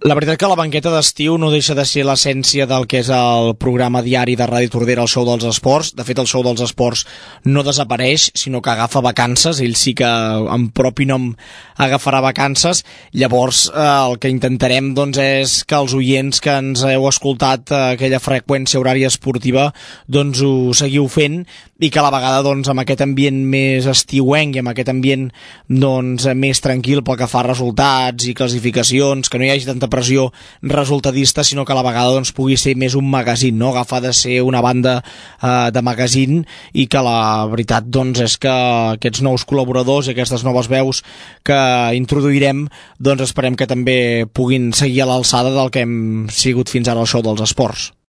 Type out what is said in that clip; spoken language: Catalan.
La veritat que la banqueta d'estiu no deixa de ser l'essència del que és el programa diari de Ràdio Tordera, el Show dels Esports. De fet, el Show dels Esports no desapareix, sinó que agafa vacances. Ell sí que, en propi nom, agafarà vacances. Llavors, el que intentarem és que els oients que ens heu escoltat aquella freqüència horària esportiva ho seguiu fent, i que a la vegada amb aquest ambient més estiuenc i amb aquest ambient més tranquil pel que fa a resultats i classificacions, que no hi hagi tanta pressió resultadista, sinó que a la vegada pugui ser més un magazín, no? Agafar de ser una banda de magazín, i que la veritat és que aquests nous col·laboradors i aquestes noves veus que introduirem esperem que també puguin seguir a l'alçada del que hem sigut fins ara al Show dels Esports.